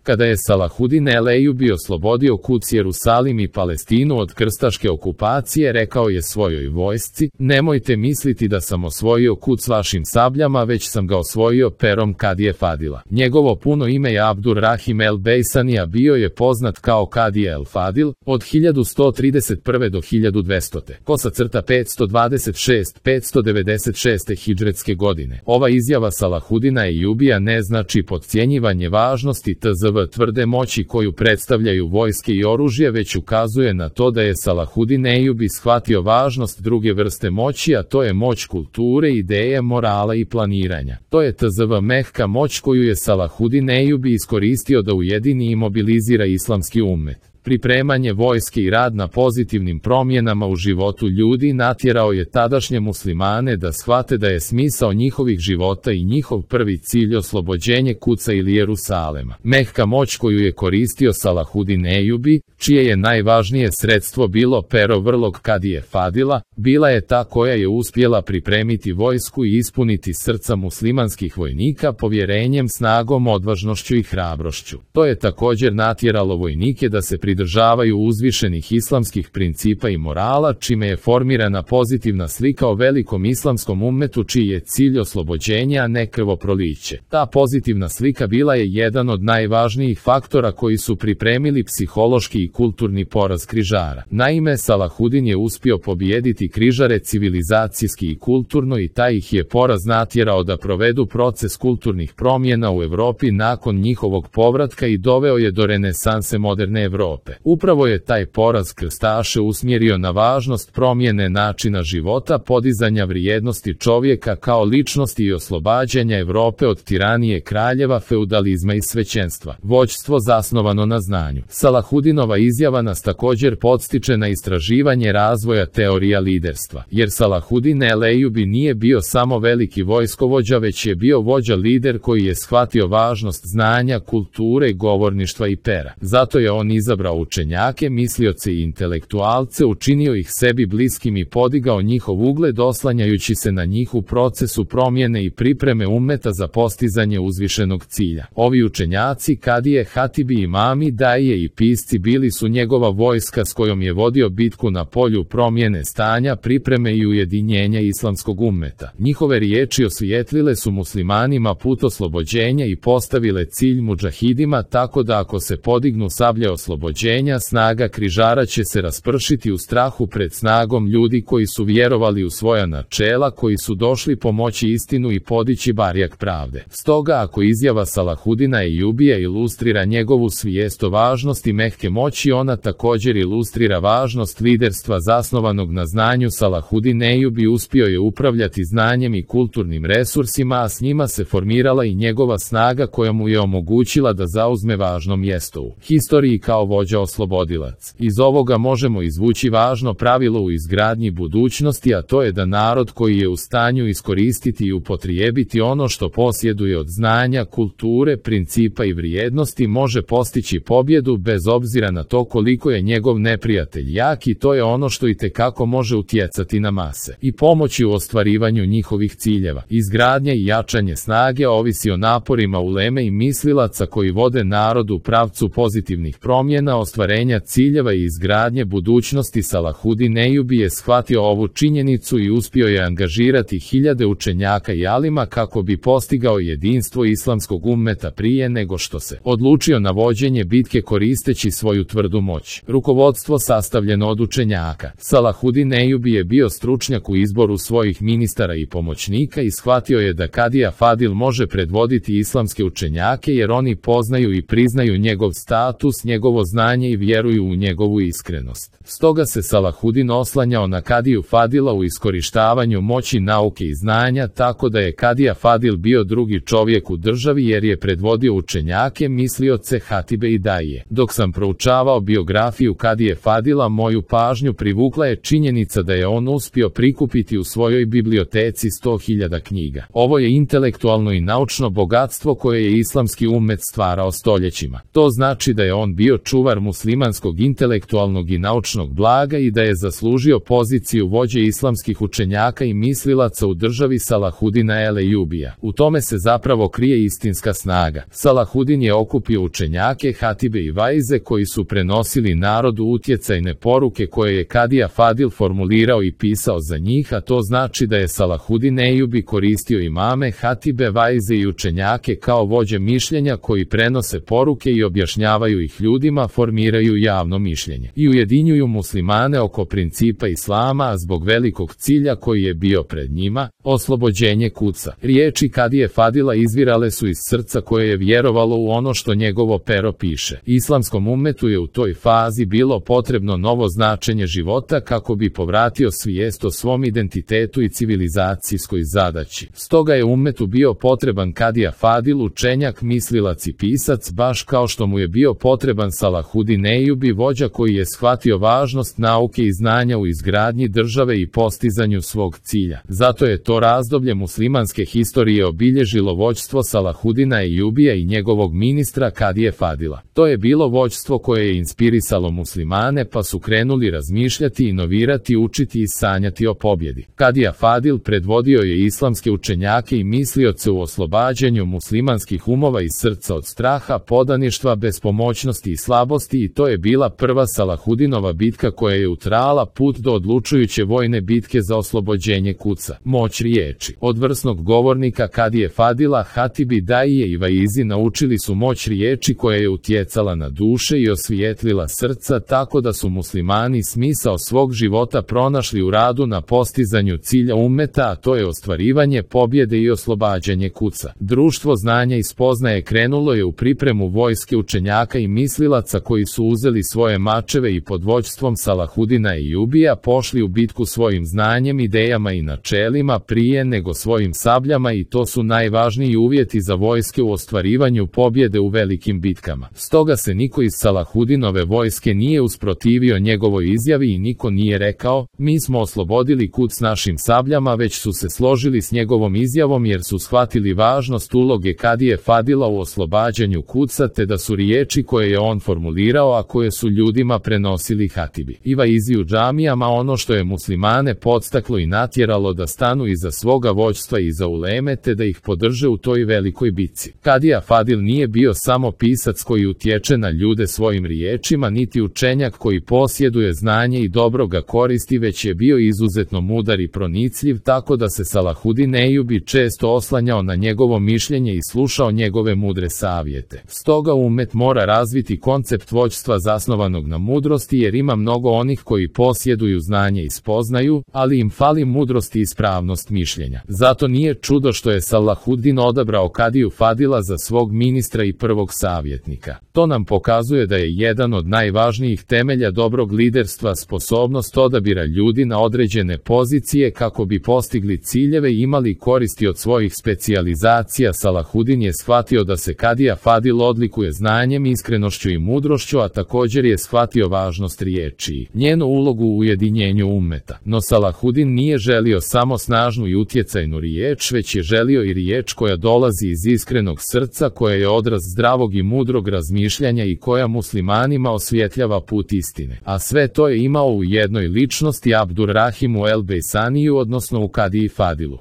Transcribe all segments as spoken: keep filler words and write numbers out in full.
Kada je Salahudin el-Ejubi oslobodio Kuds, Jerusalim i Palestinu od krstaške okupacije, rekao je svojoj vojsci: nemojte misliti da sam osvojio Kuds vašim sabljama, već sam ga osvojio perom Kadije Fadila. Njegovo puno ime je Abdur-Rahim el-Bejsani, a bio je poznat kao Kadija el-Fadil od hiljadu sto trideset prve do hiljadu dvesta. Kosa crta petsto dvadeset šest do petsto devedeset šeste hidžretske godine. Ova izjava Salahudina Ejubija ne znači potcijenjivanje važnosti tzv. Tvrde moći koju predstavljaju vojske i oružje, već ukazuje na to da je Salahudin Ejubi shvatio važnost druge vrste moći, a to je moć kulture, ideje, morala i planiranja. To je tzv. Mehka moć koju je Salahudin Ejubi iskoristio da ujedini i mobilizira islamski ummet. Pripremanje vojske i rad na pozitivnim promjenama u životu ljudi natjerao je tadašnje muslimane da shvate da je smisao njihovih života i njihov prvi cilj oslobođenje Kudsa ili Jerusalema. Mehka moć koju je koristio Salahudin Ejubi, čije je najvažnije sredstvo bilo pero vrlog Kadije Fadila, bila je ta koja je uspjela pripremiti vojsku i ispuniti srca muslimanskih vojnika povjerenjem, snagom, odvažnošću i hrabrošću. To je također natjeralo vojnike da se pridržavaju uzvišenih islamskih principa i morala, čime je formirana pozitivna slika o velikom islamskom ummetu čiji je cilj oslobođenje, a ne krvoproliće. Ta pozitivna slika bila je jedan od najvažnijih faktora koji su pripremili psihološki i kulturni poraz križara. Naime, Salahudin je uspio pobijediti križare civilizacijski i kulturno i taj ih je poraz natjerao da provedu proces kulturnih promjena u Europi nakon njihovog povratka i doveo je do renesanse moderne Europe. Upravo je taj poraz krstaše usmjerio na važnost promjene načina života, podizanja vrijednosti čovjeka kao ličnosti i oslobađanja Europe od tiranije kraljeva, feudalizma i svećenstva. Vođstvo zasnovano na znanju. Salahudinova izjava nas također podstiče na istraživanje razvoja teorija liderstva, jer Salahudin el-Ejubi nije bio samo veliki vojskovođa, već je bio vođa lider koji je shvatio važnost znanja, kulture, govorništva i pera. Zato je on izabrao učenjake, mislioce i intelektualce, učinio ih sebi bliskim i podigao njihov ugled oslanjajući se na njih u procesu promjene i pripreme ummeta za postizanje uzvišenog cilja. Ovi učenjaci, kadije, hatibi, imami, daje i pisci bili su njegova vojska s kojom je vodio bitku na polju promjene stanja, pripreme i ujedinjenja islamskog ummeta. Njihove riječi osvijetlile su muslimanima put oslobođenja i postavile cilj mudžahidima, tako da ako se podignu sablje oslobođenja, snaga križara će se raspršiti u strahu pred snagom ljudi koji su vjerovali u svoja načela, koji su došli pomoći istinu i podići barjak pravde. Stoga, ako izjava Salahudina Ejubija ilustrira njegovu svijest o važnosti mehke moći, ona također ilustrira važnost liderstva zasnovanog na znanju. Salahudin Ejubi uspio je upravljati znanjem i kulturnim resursima, a s njima se formirala i njegova snaga koja mu je omogućila da zauzme važno mjesto u historiji kao vođa oslobodilac. Iz ovoga možemo izvući važno pravilo u izgradnji budućnosti, a to je da narod koji je u stanju iskoristiti i upotrijebiti ono što posjeduje od znanja, kulture, principa i vrijednosti može postići pobjedu bez obzira na to koliko je njegov neprijatelj jak, i to je ono što itekako može utjecati na mase i pomoći u ostvarivanju njihovih ciljeva. Izgradnja i jačanje snage ovisi o naporima uleme i mislilaca koji vode narod u pravcu pozitivnih promjena, ostvarenja ciljeva i izgradnje budućnosti. Salahudin Ejubi je shvatio ovu činjenicu i uspio je angažirati hiljade učenjaka i alima kako bi postigao jedinstvo islamskog ummeta prije nego što se odlučio na vođenje bitke koristeći svoju tvrdu moć. Rukovodstvo sastavljeno od učenjaka. Salahudin Ejubi je bio stručnjak u izboru svojih ministara i pomoćnika i shvatio je da Kadija Fadil može predvoditi islamske učenjake jer oni poznaju i priznaju njegov status, njegovo znanje i vjeruju u njegovu iskrenost. Stoga se Salahudin oslanjao na Kadiju Fadila u iskorištavanju moći nauke i znanja, tako da je Kadija Fadil bio drugi čovjek u državi jer je predvodio učenjake, mislioce, hatibe i daje. Dok sam proučavao biografiju Kadije Fadila, moju pažnju privukla je činjenica da je on uspio prikupiti u svojoj biblioteci sto hiljada knjiga. Ovo je intelektualno i naučno bogatstvo koje je islamski ummet stvarao stoljećima. To znači da je on bio čuvar centar muslimanskog intelektualnog i naučnog blaga i da je zaslužio poziciju vođe islamskih učenjaka i mislilaca u državi Salahudina Elejubija. U tome se zapravo krije istinska snaga. Salahudin je okupio učenjake, hatibe i vaize koji su prenosili narodu utjecajne poruke koje je Kadija Fadil formulirao i pisao za njih, a to znači da je Salahudin Ejubi koristio imame, hatibe, vaize i učenjake kao vođe mišljenja koji prenose poruke i objašnjavaju ih ljudima, formiraju javno mišljenje i ujedinjuju muslimane oko principa islama, a zbog velikog cilja koji je bio pred njima, oslobođenje kuca. Riječi Kadije Fadila izvirale su iz srca koje je vjerovalo u ono što njegovo pero piše. Islamskom ummetu je u toj fazi bilo potrebno novo značenje života kako bi povratio svijest o svom identitetu i civilizacijskoj zadaći. Stoga je ummetu bio potreban Kadija Fadil, učenjak, mislilac i pisac, baš kao što mu je bio potreban Salahudin Ejubi, vođa koji je shvatio važnost nauke i znanja u izgradnji države i postizanju svog cilja. Zato je to razdoblje muslimanske historije obilježilo vođstvo Salahudina Ejubija i njegovog ministra Kadije Fadila. To je bilo vođstvo koje je inspirisalo muslimane, pa su krenuli razmišljati, inovirati, učiti i sanjati o pobjedi. Kadija Fadil predvodio je islamske učenjake i mislioce u oslobađanju muslimanskih umova i srca od straha, podaništva, bespomoćnosti i slabosti, i to je bila prva Salahudinova bitka koja je utrajala put do odlučujuće vojne bitke za oslobođenje kuca. Moć riječi. Od vrsnog govornika Kadije Fadila, hatibi, daije i vaizi naučili su moć riječi koja je utjecala na duše i osvijetlila srca, tako da su muslimani smisao svog života pronašli u radu na postizanju cilja ummeta, a to je ostvarivanje pobjede i oslobađanje kuca. Društvo znanja i spoznaje krenulo je u pripremu vojske učenjaka i mislilaca koji su uzeli svoje mačeve i pod vođstvom Salahudina Ejubija pošli u bitku svojim znanjem, idejama i načelima prije nego svojim sabljama, i to su najvažniji uvjeti za vojske u ostvarivanju pobjede u velikim bitkama. Stoga se niko iz Salahudinove vojske nije usprotivio njegovoj izjavi i niko nije rekao: mi smo oslobodili kuc našim sabljama, već su se složili s njegovom izjavom jer su shvatili važnost uloge Kadije Fadila u oslobađanju kuca, te da su riječi koje je on formulirao, a koje su ljudima prenosili hatibi i vaizi u džamijama, ono što je muslimane podstaklo i natjeralo da stanu iza svoga vođstva i iza uleme, te da ih podrže u toj velikoj bitci. Kadija Fadil nije bio samo pisac koji utječe na ljude svojim riječima, niti učenjak koji posjeduje znanje i dobro ga koristi, već je bio izuzetno mudar i pronicljiv, tako da se Salahudin Ejubi često oslanjao na njegovo mišljenje i slušao njegove mudre savjete. Stoga ummet mora razviti koncept vođstva zasnovanog na mudrosti, jer ima mnogo onih koji posjeduju znanje i spoznaju, ali im fali mudrost i ispravnost mišljenja. Zato nije čudo što je Salahudin odabrao Kadiju Fadila za svog ministra i prvog savjetnika. To nam pokazuje da je jedan od najvažnijih temelja dobrog liderstva sposobnost odabira ljudi na određene pozicije kako bi postigli ciljeve i imali koristi od svojih specijalizacija. Salahudin je shvatio da se Kadija Fadil odlikuje znanjem, iskrenošću i mudrošću, a također je shvatio važnost riječi i njenu ulogu u ujedinjenju ummeta. No Salahudin nije želio samo snažnu i utjecajnu riječ, već je želio i riječ koja dolazi iz iskrenog srca, koja je odraz zdravog i mudrog razmišljanja i koja muslimanima osvjetljava put istine. A sve to je imao u jednoj ličnosti, Abdurrahimu el Bejsaniju, odnosno u Kadiji Fadilu.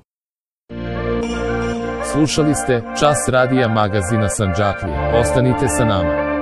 Slušali ste Čas radija magazina Sandžaklije. Ostanite sa nama.